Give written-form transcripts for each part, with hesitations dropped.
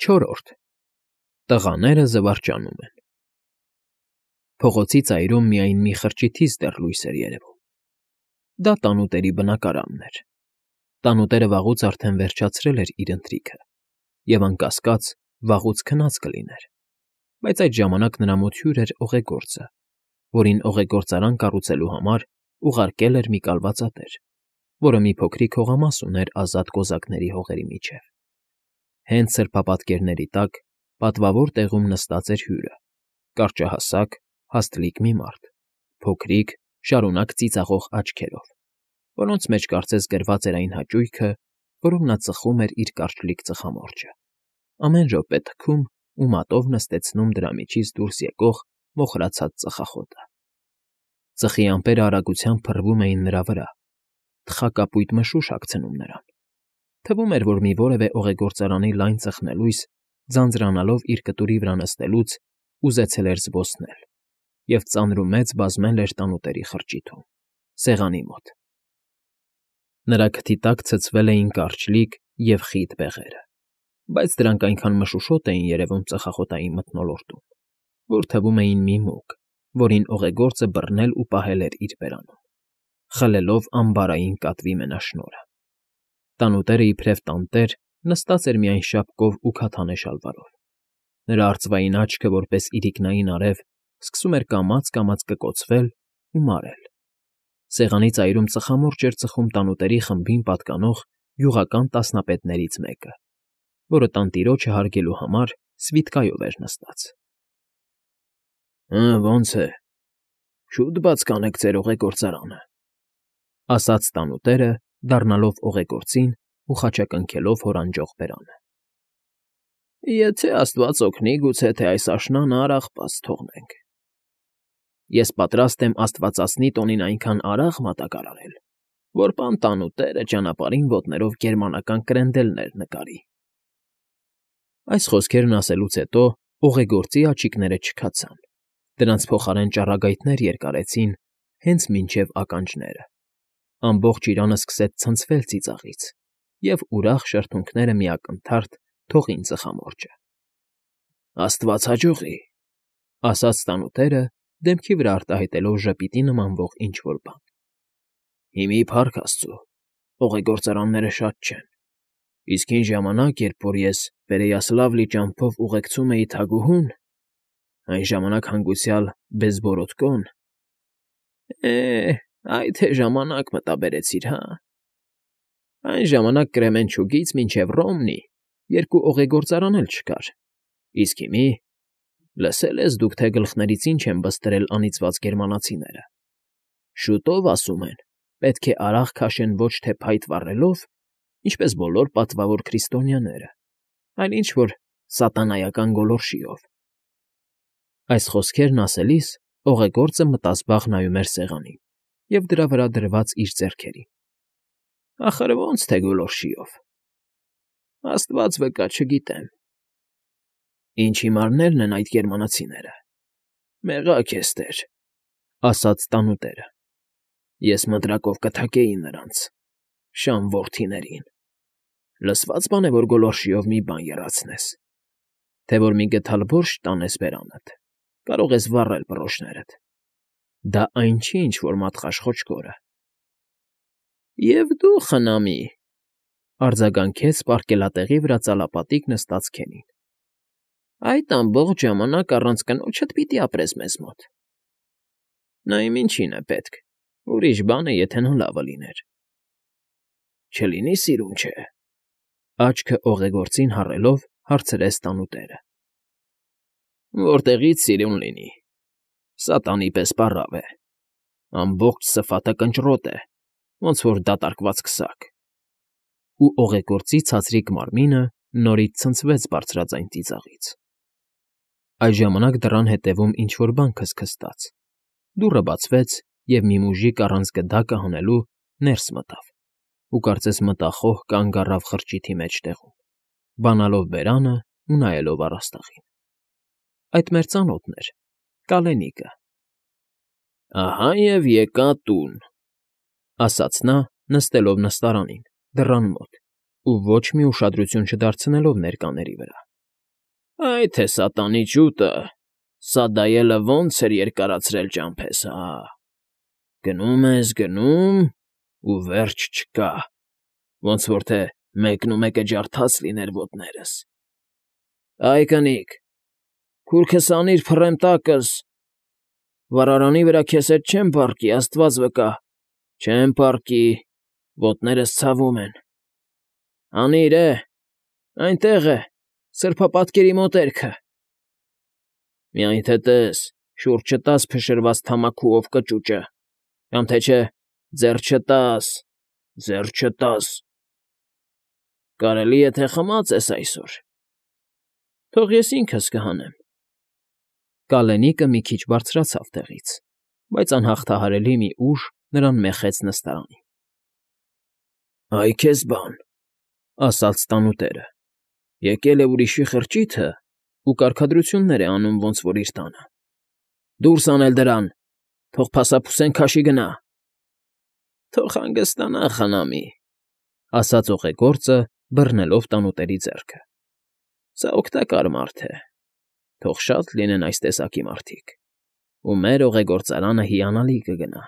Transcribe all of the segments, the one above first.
Չորրորդ Տղաները զվարճանում են։ Փողոցի ծայրում միայն մի խրճիթից դեռ լույս էր երևում։ Դա տանուտերի բնակարանն էր։ Տանուտերը վաղուց արդեն վերջացրել էր իր ընթրիքը, և անկասկած վաղուց քնած կլիներ, բայց այդ ժամանակ նրա մոտ հյուր էր օղեգործը, որին օղեգործարան կառուցելու համար ուղարկել էր մի կալվածատեր, որը մի փոքրիկ հողամաս ուներ ազատ կոզակների հողերի միջև։ Հենց սրբապատկերների տակ, պատվավոր տեղում նստած էր հյուրը, կարճահասակ, հաստլիկ մի մարդ, փոքրիկ, շարունակ ծիծաղող աչքերով, որոնց մեջ կարծես գրված էր այն հաճույքը, որով նա ծխում էր իր կարճլիկ ծխամորճը, ամեն րոպե թքում ու մատով նստեցնում դրա միջից դուրս եկող մոխրացած ծխախոտը։ Ծխի ամպերը արագությամբ փռվում էին նրա վրա, թխակապույտ մշուշ հագցնում նրան։ Թվում էր, որ մի որևէ օղեգործարանի լայն ծխնելույս, ձանձրանալով իր կտուրի վրա նստելուց, ուզեցել էր զբոսնել և ծանրումեծ բազմել էր տանուտերի խրճիթում, սեղանի մոտ։ Նրա քթի տակ ցցվել էին կարճլիկ և խիտ բեղերը, բայց դրանք այնքան մշուշոտ էին երևում ծխախոտային մթնոլորտում, որ թվում էին մի մուգ, որին օղեգործը բռնել ու պահել էր իր բերանում, խլելով ամբարային կատվի մենաշնորհը։ Տանուտերը իբրև տանտեր նստած էր միայն շապկով ու քաթանե շալվարով։ Նրա արծվային աչքը, որպես իրիկնային արև, սկսում էր կամաց֊կամաց կկոցվել ու մարել։ Սեղանի ծայրում ծխամորճ էր ծխում տանուտերի խմբին պատկանող գյուղական տասնապետներից մեկը, որը տանտիրոջը հարգելու համար սվիթկայով էր նստած։ Ոնց է, շուտ բաց կանեք ձեր օղեգործարանը, ասաց տանուտերը, դառնալով օղեգործին ու խաչակնքելով հորանջող բերանը։ Եթե աստված օգնի, գուցե թե այս աշնանը արաղ֊պաց թողնենք։ Ես պատրաստ եմ աստվածածնի տոնին այնքան արաղ մատակարարել, որ պան տանուտերը ճանապարհին ոտներով գերմանական կրենդելներ նկարի։ Այս խոսքերն ասելուց հետո օղեգործի աչիկները չքացան, դրանց փոխարեն ճառագայթներ երկարեցին հենց մինչև ականջները։ Ամբողջ իրանը սկսեց ցնցվել ծիծաղից, և ուրախ շրթունքները մի ակնթարթ թողին ծխամորճը։ Աստված հաջողի, ասաց տանուտերը, դեմքի վրա արտահայտելով ժպիտի նմանվող ինչ֊որ բան։ Հիմի փառք աստծո, օղեգործարանները շատ չեն, իսկ հին ժամանակ, երբ որ ես Պերեյասլավլի ճամփով ուղեկցում էի թագուհուն, այն ժամանակ հանգուցյալ Բեզբորոտկոն… Այ թե ժամանակ մտաբերեցիր, հա… Այն ժամանակ Կրեմենչուգից մինչև Ռոմնի երկու օղեգործարան էլ չկար, իսկ հիմի… Լսել ես դուք, թե գլխներից ինչ են բստրել անիծված գերմանացիները… Շուտով, ասում են, պետք է արաղ քաշեն ոչ թե փայտ վառելով, ինչպես բոլոր պատվավոր քրիստոնյաները, այլ ինչ֊որ սատանայական գոլորշիով։ Այս խոսքերն ասելիս օղեգործը մտազբաղ նայում էր սեղանին և դրա վրա դրված իր ձեռքերին։ Ախր ո՞նց թե գոլորշիով… Աստված վկա, չգիտեմ… Ինչ հիմարներն են այդ գերմանացիները… Մեղա՜ք էստեր, ասաց տանուտերը։ Ես մտրակով կթակեի նրանց… Շան որդիներին… Լսվա՞ծ բան է, որ գոլորշիով մի բան եռացնես… Թե որ մի գդալ բորշչ տանես բերանդ, կարող ես վառել բռոշներդ… Դա այն չի, ինչ որ մատխաշ խոչկորը… Եվ դու, խնամի, արձագանքեց պարկելատեղի վրա ծալապատիկ նստած Քենին, այդ ամբողջ ժամանակ առանց կնոջդ պիտի ապրես մեզ մոտ… Նա իմ ինչին է պետք, ուրիշ բան է, եթե նա լավը լիներ… Չլինի՞ սիրուն, չէ… Աչքը օղեգործին հառելով, հարցրեց տանուտերը։ Որտեղի՞ց սիրուն լինի… Սատանի պես պառավ է… Ամբողջ սփաթը կնճռոտ է, ոնց որ դատարկված քսակ… Ու օղեգործի ցածրիկ մարմինը նորից ցնցվեց բարձրաձայն ծիծաղից։ Այդ ժամանակ դռան ետևում ինչ֊որ բան քստքստաց, դուռը բացվեց, և մի մուժիկ առանց գդակը հանելու ներս մտավ ու կարծես մտախոհ կանգ առավ խրճիթի մեջտեղում, բանալով բերանը ու նայելով առաստաղին։ Այդ մեր ծանոթն էր, կալենիկը։ Ահա և եկա տուն, ասաց նա, նստելով նստարանին, դռան մոտ ու ոչ մի ուշադրություն չդարձնելով ներկաների վրա։ Այ թե սատանի ջուտը, սա դայելը ոնց էր երկարացրել ճամփես, հա։ Գնում ես, գնում, ու վերջ չկա, ոնց որ թե մեկնումեկը ջարդած լիներ ոտներս։ Այ կնիկ, քուրքս անիր փռեմ տակս, վառարանի վրա քեզ հետ չեմ պառկի, աստված վկա, չեմ պառկի, ոտներս ցավում են։ Անիր, այնտեղ է, սրբապատկերի մոտերքը։ Միայն թե տես, շուռ չտաս փշրված թամաքուով կճուճը, կամ թե չէ, ձեռ չտաս։ Կարելի է թե խմած ես այսօր։ Թող ես ինքս կհանեմ։ Կալենիկը մի քիչ բարձրացավ տեղից, բայց անհաղթահարելի մի ուժ նրան մեխեց նստարանին։ Այ քեզ բան, ասաց տանուտերը, եկել է ուրիշի խրճիթը ու կարգադրություններ է անում ոնց որ իր տանը։ Դուրս անել դրան, թող փասափուսեն քաշի գնա։ Թող հանգստանա խնամի, ասաց օղեգործը, բռնելով տանուտերի ձեռքը։ Սա օգտակար մարդ է, թող շատ լինեն այս տեսակի մարդիկ, ու մեր օղեգործարանը հիանալի կգնա։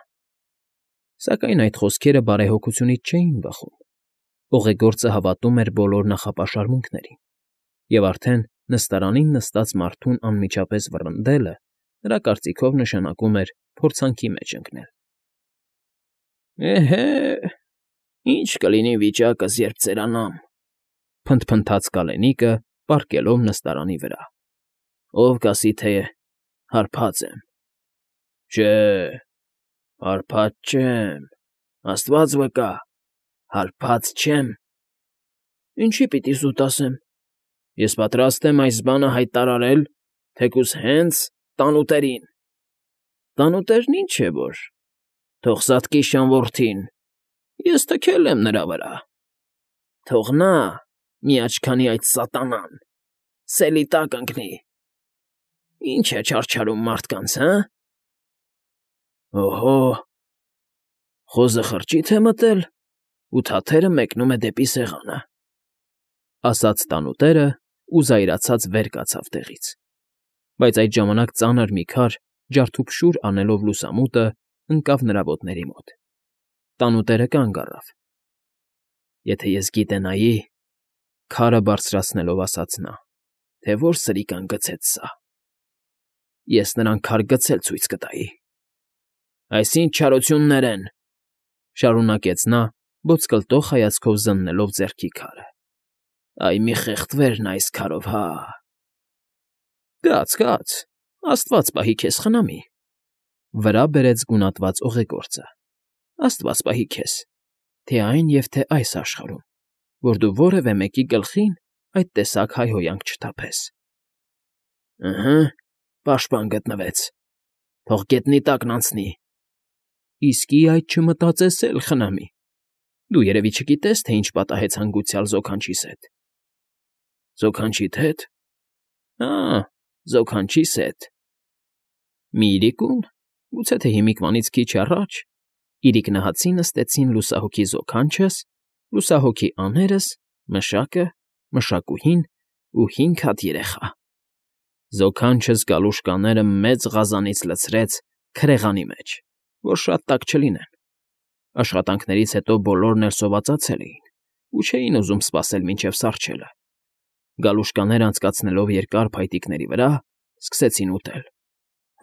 Սակայն այդ խոսքերը բարեհոգությունից չէին բխում։ Օղեգործը հավատում էր բոլոր նախապաշարմունքներին, և արդեն նստարանին նստած մարդուն անմիջապես վռնդելը նրա կարծիքով նշանակում էր փորձանքի մեջ ընկնել։ Էհե, ի՞նչ կլինի վիճակս, երբ ծերանամ, փնթփնթաց Կալենիկը, պառկելով նստարանի վրա։ Ով կասի, թե հարբած եմ։ Չէ, հարբած չեմ, աստված վկա, հարբած չեմ։ Ինչի պիտի զուտ ասեմ։ Ես պատրաստ եմ այս բանը հայտարարել, թեկուզ հենց տանուտերին։ Տանուտերն ինչ է որ, թող սատկի շանորդին, ես թքել եմ նրա վրա։ Թող նա մի աչքանի այդ սատանան սելի տակ ընկնի։ Ինչ է չարչարում մարդկանց, հը։ Օհո, խոզը խրճիթ է մտել, ու թաթերը մեկնում է դեպի սեղանը, ասաց տանուտերը ու զայրացած վեր կացավ տեղից։ Բայց այդ ժամանակ ծանր մի քար, ջարդուփշուր անելով լուսամուտը, ընկավ նրա ոտների մոտ։ Տանուտերը կանգ առավ։ Եթե ես գիտենայի, քարը բարձրացնելով ասաց նա, թե որ սրիկան գցեց սա։ Ես նրան քար գցել ցույց կտայի։ Այս ինչ չարություններ են, շարունակեց նա, ոտսկլտող հայացքով զննելով ձեռքի քարը։ Այ մի խեղդվեր նա այս քարով, հա։ Կաց, աստված պահի քեզ խնամի, վրա բերեց գունատված օղեգործը։ Աստված պահի քեզ, թե այն և թե այս աշխարհում, որ դու որևէ մեկի գլխին այդ տեսակ հայհոյանք չթափես։ Ըհը, պաշտպան գտնվեց, թող գետնի տակն անցնի։ Իսկի այդ չմտածես էլ, խնամի։ Դու երևի չգիտես, թե ինչ պատահեց հանգուցյալ զոքանչիս հետ։ Զոքանչիդ հետ։ Հա, զոքանչիս հետ։ Մի իրիկուն, գուցե թե հիմիկվանից քիչ առաջ, իրիկնահացի նստեցին լուսահոգի զոքանչս, լուսահոգի աներս, մշակը, մշակուհին ու 5 հատ երեխա։ Զոքանչս գալուշկաները մեծ ղազանից լցրեց քրեղանի մեջ, որ շատ տաք չլինեն։ Աշխատանքներից հետո բոլորն էլ սովածացել էին ու չէին ուզում սպասել մինչև սառչելը։ Գալուշկաները անցկացնելով երկար փայտիկների վրա, սկսեցին ուտել։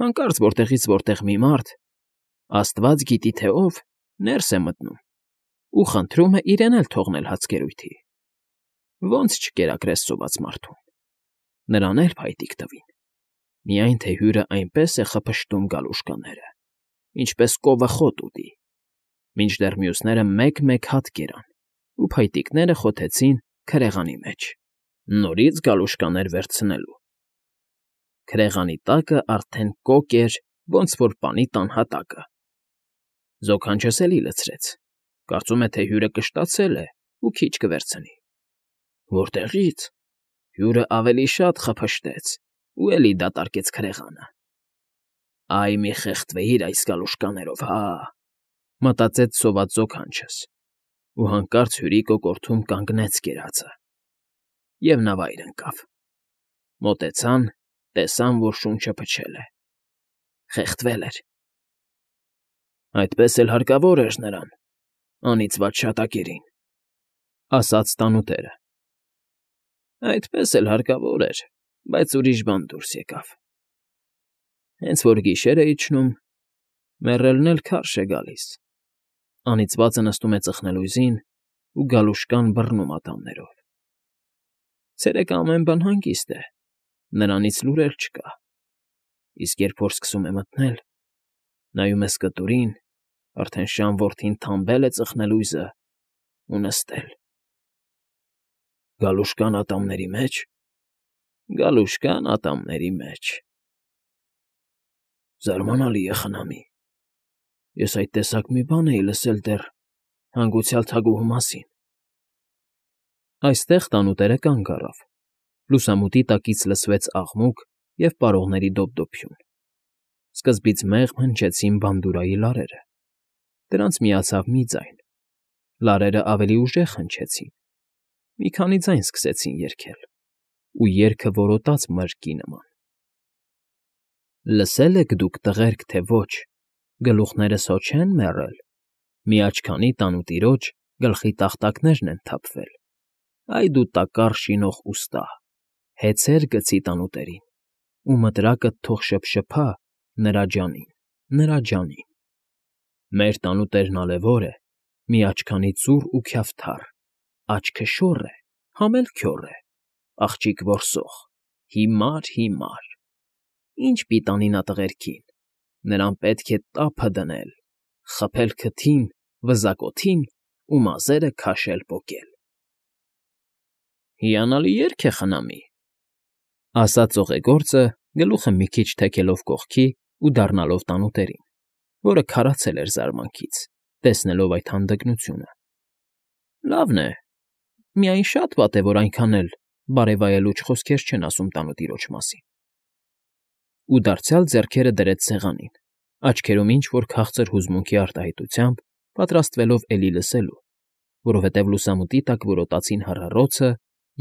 Հանկարծ որտեղից որտեղ մի մարդ, աստված գիտի թե ով, ներս է մտնում ու խնդրում է իրեն էլ թողնել հացկերույթի։ Ոնց չկերակրես սոված մարդուն։ Նրան էլ փայտիկ տվին։ Միայն թե հյուրը այնպես է խփշտում գալուշկաները, ինչպես կովը խոտ ուտի, մինչդեռ մյուսները մեկ-մեկ հատ կերան, ու փայտիկները խոթեցին քրեղանի մեջ, նորից գալուշկաներ վերցնելու։ Քրեղանի տակը արդեն կոկ էր, ոնց որ պանի տան հատակը։ Զոքանչս էլի լցրեց, կարծում է, թե հյուրը կշտացել է ու քիչ կվերցնի։ Որտեղի՞ց։ Հյուրը ավելի շատ խփշտեց ու էլի դատարկեց քրեղանը։ Այ մի խեղդվեիր այս գալուշկաներով, հա, մտածեց սոված զոքանչս, ու հանկարծ հյուրի կոկորդում կանգնեց կերածը, և նա վայր ընկավ։ Մոտեցան, տեսան, որ շունչը փչել է, խեղդվել էր։ Այդպես էլ հարկավոր էր նրան, անիծված շատակերին, ասաց տանուտերը։ Այդպես էլ հարկավոր էր, բայց ուրիշ բան դուրս եկավ։ Հենց որ գիշեր է իջնում, մեռելն էլ քարշ է գալիս։ Անիծվածը նստում է ծխնելույզին ու գալուշկան բռնում ատամներով։ Ցերեկը ամեն բան հանգիստ է, նրանից լուրեր չկա։ Իսկ երբ որ սկսում է մթնել, նայում է սկտուրին, արդեն շան որդին թամբել է ծխնելույզը ու նստել։ Գալուշկան ատամների մեջ։ Գալուշկան ատամների մեջ։ Զարմանալի է, խնամի։ Ես այդ տեսակ մի բան էի լսել դեռ հանգուցյալ թագուհու մասին։ Այստեղ տանուտերը կանգ առավ։ Լուսամուտի տակից լսվեց աղմուկ և պարողների դոփդոփյուն։ Սկզբից մեղմ հնչեցին բանդուրայի լարերը։ Դրանց միացավ մի ձայն։ Լարերն ավելի ուժեղ հնչեցին։ Մի քանի ձայն սկսեցին երգել, ու երգը որոտաց մրրկի նման։ Լսե՞լ եք դուք, տղերք, թե ոչ, գլուխներս հո չեն մեռել, մի աչքանի տանուտիրոջ գլխի տախտակներն են թափվել։ Այ դու տակառ շինող ուստա, հեծեր գցի տանուտերին, ու մտրակդ թող շփշփա նրա ջանին, նրա ջանին։ Մեր տանուտերն ալևոր է, մի աչքանի ծուռ ու քյավթառ, աչքը շոր է, համ էլ քյոռ է, աղջիկ որսող, հիմար։ Ինչ պիտանի նա տղերքին, նրան պետք է տափը դնել, խփել քթին, վզակոթին ու մազերը քաշել պոկել։ Հիանալի երգ է, խնամի, ասաց ծովեգործը, գլուխը մի քիչ թեքելով կողքի ու դառնալով տանուտերին, որը քարացել էր զարմանքից, տեսնելով այդ հանդգնությունը։ Լավն է, միայն շատ վատ է, որ այնքան էլ բարեվայելուչ խոսքեր չեն ասում տանուտիրոջ մասին։ Ու դարձյալ ձեռքերը դրեց սեղանին, աչքերում ինչ֊որ քաղցր հուզմունքի արտահայտությամբ պատրաստվելով էլի լսելու, որովհետև լուսամուտի տակ որոտացին հառառոցը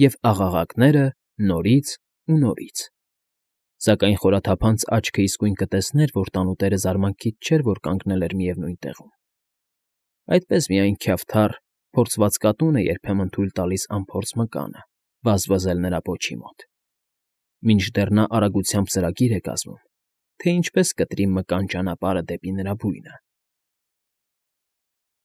և աղաղակները նորից ու նորից։ Սակայն խորաթափանց աչքն իսկույն կտեսներ, որ տանուտերը զարմանքից չէր, որ կանգնել էր միևնույն տեղում։ Այդպես միայն քյավթառ, փորձված կատուն է երբեմն թույլ տալիս անփորձ մկանը վազվզել նրա պոչի մոտ, մինչդեռ նա արագությամբ ծրագիր է կազմում, թե ինչպես կտրի մկան ճանապարհը դեպի նրա բույնը։